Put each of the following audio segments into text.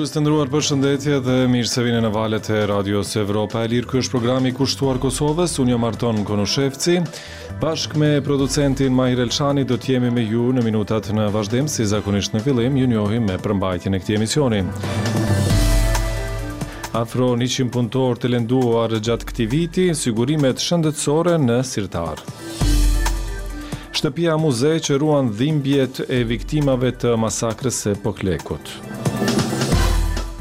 Dëgjues të nderuar, përshëndetje dhe mirë se vini në valët e Radios Evropa e Lirë. Ky është programi kushtuar Kosovës. Unë jam Arton Konushevci. Bashkë me producentin Mahir Elshani do të jemi me ju në minutat në vazhdim, si zakonisht në fillim, ju njohim me përmbajtjen e këtij emisioni. Afro 100 punëtorë të lënduar gjatë këtij viti, sigurimet shëndetësore në sirtar. Shtëpia muze që ruan dhimbjet e viktimave të masakrës së Poklekut.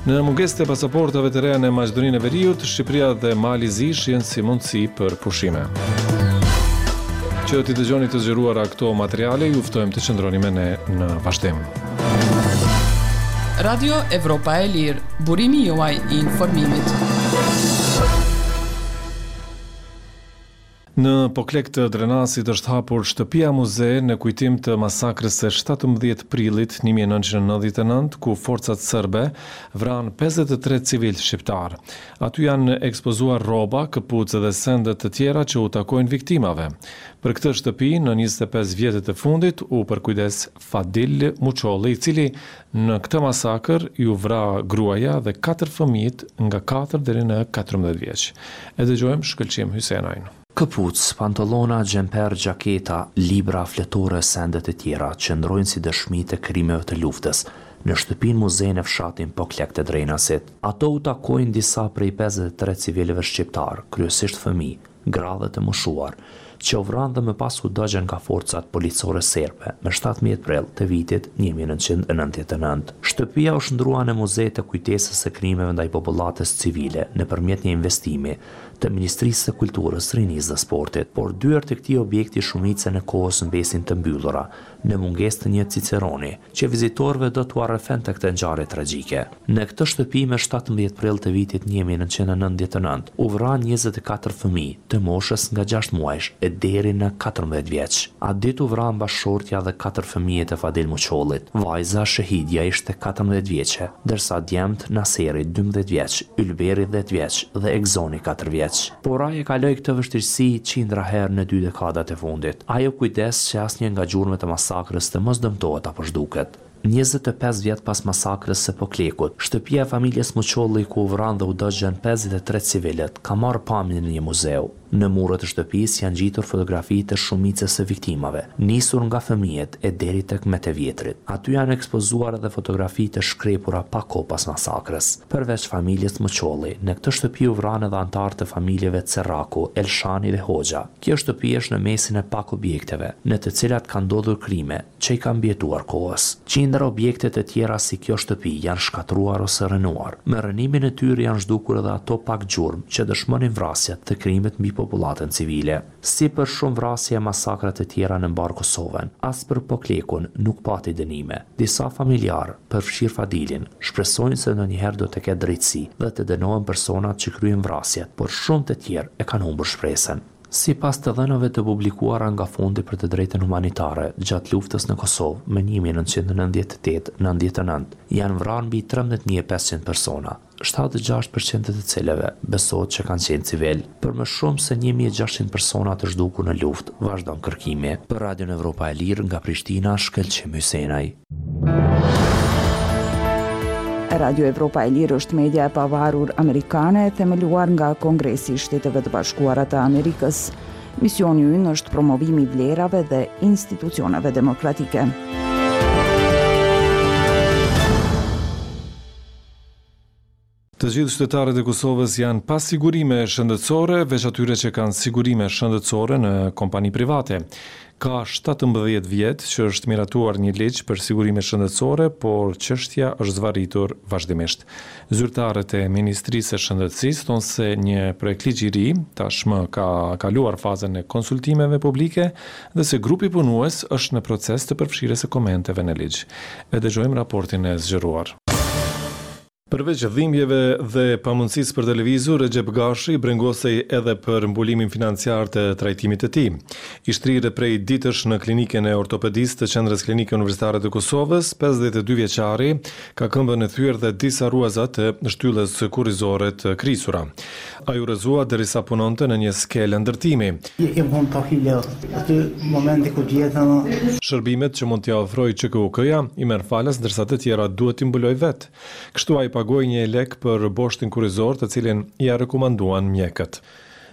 Në mungesë të pasaportave të reja në Maqedoninë e Veriut, Shqipëria dhe Mali i Zi shihen si mundësi për pushime. Që t'i dëgjoni të zgjeruara këto materiale, ju ftojmë të qëndroni me ne në vazhdim. Radio Evropa e Lirë, burimi juaj i informimit. Në Poklek të Drenasit është hapur Shtëpia Muze në kujtim të masakrës së 17 prillit 1999, ku forcat serbe vranë 53 civilë shqiptarë. Aty janë ekspozuar rroba, këpucë dhe sende të tjera që u takojnë viktimave. Për këtë shtëpi, në 25 vjetët e fundit, u përkujdes Fadil Muçolli, i cili në këtë masakër iu vra gruaja dhe katër fëmijët nga katër deri në 14 vjeç. E dëgjojmë Shkëlqim Hysenajn. Këpucë, pantollona, xhemper, xhaketa, libra, fletore, sende të tjera qëndrojnë si dëshmi të krimeve të luftës në shtëpinë muze në fshatin Poklek të Drenasit. Ato u takojnë disa prej 53 civilëve shqiptarë, kryesisht fëmijë, gra dhe të moshuar, që u vranë dhe më pas u dogjën nga forcat policore serbe më 17 prill të vitit 1999. Shtëpia u shndërrua në muze të kujtesës së krimeve ndaj popullatës civile nëpërmjet një investimi të Ministrisë së Kulturës, Rinisë dhe Sportit. Por dyert e këtij objekti shumicën e kohës mbesin të mbyllura, në mungesë të një ciceroni, që vizitorëve do t'ua rrëfente këtë ngjarje tragjike. Në këtë shtëpi më 17 prill të vitit 1999 u vranë 24 fëmijë të moshës nga 6 muajsh e deri në 14 vjeç. Atë ditë u vranë bashkëshortja dhe katër fëmijët e Fadil Muçollit. Vajza Shehidja ishte 14 vjeçe, ndërsa djemtë Naseri 12 vjeç, Ylberi 10 vjeç dhe Egzoni 4 vjeç. Por ai e kaloi këtë vështirësi qindra herë në dy dekadat e fundit. Ai u kujdes që asnjë nga gjurmët e masakrës të mos dëmtohet apo zhduket. 25 vjet pas masakrës së Poklekut, shtëpia e familjes Muçolli ku u vranë dhe u dogjën 53 civilët, ka marrë pamjen e një muzeu. Në muret e shtëpisë janë ngjitur fotografi të shumicës së viktimave, nisur nga fëmijët e deri tek më të vjetrit. Aty janë ekspozuar edhe fotografi të shkrepura pak kohë pas masakrës. Përveç familjes Muçolli, në këtë shtëpi u vranë edhe anëtarë të familjeve Cerraku, Elshani dhe Hoxha. Kjo shtëpi është në mesin e pak objekteve, në të cilat kanë ndodhur krime, që i kanë mbijetuar kohës. Qindra objekte të tjera si kjo shtëpi janë shkatërruar ose rrënuar. Me rrënimin e tyre janë zhdukur edhe ato pak gjurmë që dëshmonin vrasjet dhe krimet mbi popullatën civile. Si për shumë vrasje e masakra të tjera në mbarë Kosovën, as për Poklekun nuk pati dënime. Disa familjarë, përfshirë Fadilin, shpresojnë se ndonjëherë do të ketë drejtësi dhe të dënohen personat që kryen vrasjet, por shumë të tjerë e kanë humbur shpresën. Sipas të dhënave të publikuara nga Fondi për të Drejtën Humanitare, gjatë luftës në Kosovë, më 1998-99, janë vrarë mbi 13.500 persona, 76% të të cilëve besohet që kanë qenë civil. Për më shumë se 1600 persona të zhdukur në luftë, vazhdon kërkimi. Për Radion Evropa e Lirë nga Prishtina, Shkëlqim Hysenaj. Radio Evropa e Lirë është media e pavarur amerikane e themeluar nga Kongresi i Shteteve të Bashkuara të Amerikës. Misioni ynë është promovimi i vlerave dhe institucioneve demokratike. Të gjithë qytetarët e Kosovës janë pa sigurime shëndetësore, veç atyre që kanë sigurime shëndetësore në kompani private. Ka 17 vjet që është miratuar një ligj për sigurime shëndetësore, por çështja është zvarritur vazhdimisht. Zyrtarët e Ministrisë së Shëndetësisë thonë se një projektligj i ri tashmë ka kaluar fazën e konsultimeve publike dhe se grupi punues është në proces të përfshirjes së komenteve në ligj. E dëgjojmë raportin e zgjeruar. Përveç dhimbjeve dhe pamundësisë për të lëvizur, Rexhep Gashi brengosej edhe për mbulimin financiar të trajtimit të tij. I shtrirë prej ditësh në klinikën e ortopedisë të Qendrës Klinike Universitare të Kosovës, 52 vjeçari ka këmbën e thyer dhe disa rruaza të shtyllës kurrizore të krisura. Ai u rrëzua derisa punonte në një skelë ndërtimi. Jam kon pak i lodht aty momenti kur gjetën. Shërbimet që mund t'ia ofrojë QKUK-ja i merr falas ndërsa të tjera duhet t'i mbulojë vetë. Kështu ai pagoi një jelek për boshtin kurrizor të cilin ia rekomanduan mjekët.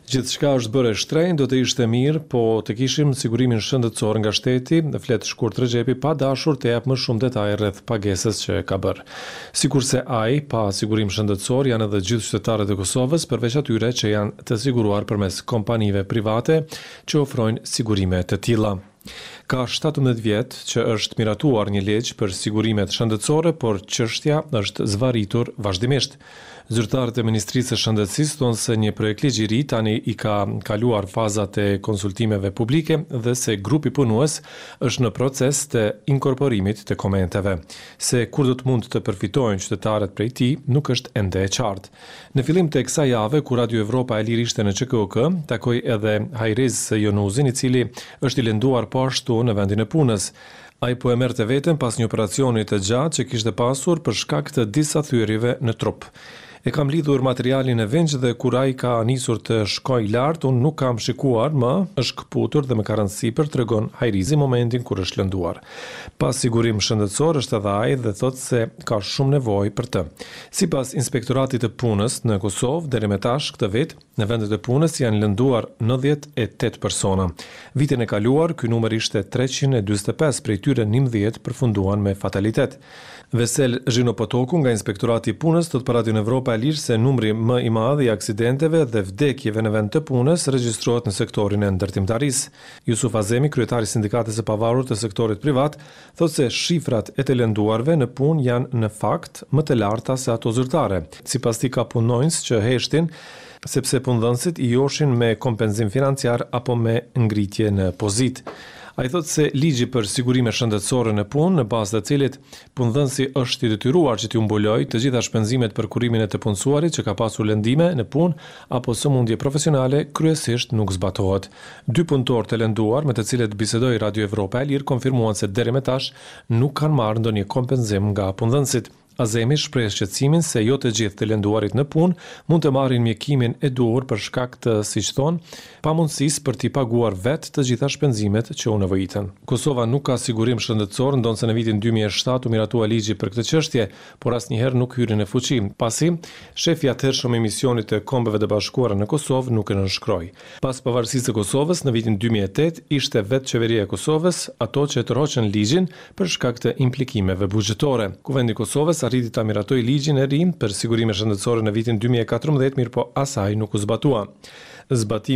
Gjithçka është bërë e shtrenjtë, do të ishte mirë po të kishim sigurimin shëndetësor nga shteti, flet Shkurt Rexhepi pa dashur të japë më shumë detaje rreth pagesës që ka bërë. Sikurse ai, pa sigurim shëndetësor janë edhe gjithë qytetarët e Kosovës, përveç atyre që janë të siguruar përmes kompanive private që ofrojnë sigurime të tilla. Ka 17 vjet që është miratuar një ligj për sigurimet shëndetësore, por çështja është zvarritur vazhdimisht. Zyrtarët e Ministrisë së Shëndetësisë thonë se një projektligj i ri tani i ka kaluar fazat e konsultimeve publike dhe se grupi punues është në proces të inkorporimit të komenteve. Se kur do të mund të përfitojnë qytetarët prej tij, nuk është ende e qartë. Në fillim të kësaj jave, kur Radio Evropa e Lirë ishte në QKUK, takoi edhe Hajriz Jonuzin, i cili është i lënduar po ashtu në vendin e punës. Ai po e merrte veten pas një operacioni të gjatë që kishte pasur për shkak të disa thyerjeve në trup. E kam lidhur materialin në vinç dhe kur ai ka nisur të shkojë lart, unë nuk kam shikuar më, është këputur dhe më ka rënë sipër, tregon Hajrizi momentin kur është lënduar. Pa sigurim shëndetësor është edhe ai dhe thotë se ka shumë nevojë për të. Sipas Inspektoratit të Punës në Kosovë, deri me tash këtë vit, Në vendet e punës janë lënduar 98 persona. Vitin e kaluar, ky numër ishte 345, prej tyre 11 përfunduan me fatalitet. Vesel Zhinopotoku nga Inspektorati i Punës thotë për Radion Evropa e Lirë se numri më i madh i aksidenteve dhe vdekjeve në vend të punës regjistrohet në sektorin e ndërtimtarisë. Jusuf Azemi, kryetar i Sindikatës së Pavarur të Sektorit Privat, thotë se shifrat e të lënduarve në punë janë në fakt më të larta se ato zyrtare. Sipas tij ka punonjës që heshtin sepse punëdhënësit i joshin me kompenzim financiar apo me ngritje në pozitë. Ai thotë se ligji për sigurime shëndetësore në punë, në bazë të cilit punëdhënësi është i detyruar që t'u mbulojë të gjitha shpenzimet për kurimin e të punësuarit që ka pasur lëndime në punë apo sëmundje profesionale, kryesisht nuk zbatohet. Dy punëtorë të lënduar, me të cilët bisedoi Radio Evropa e Lirë, konfirmuan se deri me tash nuk kanë marrë ndonjë kompenzim nga punëdhënësit. Azemi shpreh shqetësimin se jo të gjithë të lënduarit në punë mund të marrin mjekimin e duhur për shkak të, siç thonë, pamundësisë për t'i paguar vetë të gjitha shpenzimet që u nevojiten. Kosova nuk ka sigurim shëndetësor, ndonëse në vitin 2007 u miratua ligji për këtë çështje, por asnjëherë nuk hyri në fuqi, pasi shefi i atëhershëm i misionit të Kombeve të Bashkuara në Kosovë nuk e nënshkroi. Pas pavarësisë së Kosovës në vitin 2008, ishte vetë qeveria e Kosovës ato që e tërhoqën ligjin për shkak të implikimeve buxhetore. Kuvendi i Kosovës arriti ta miratojë ligjin e ri për sigurime shëndetësore në vitin 2014, mirëpo as ai nuk u zbatua. Zbatimi.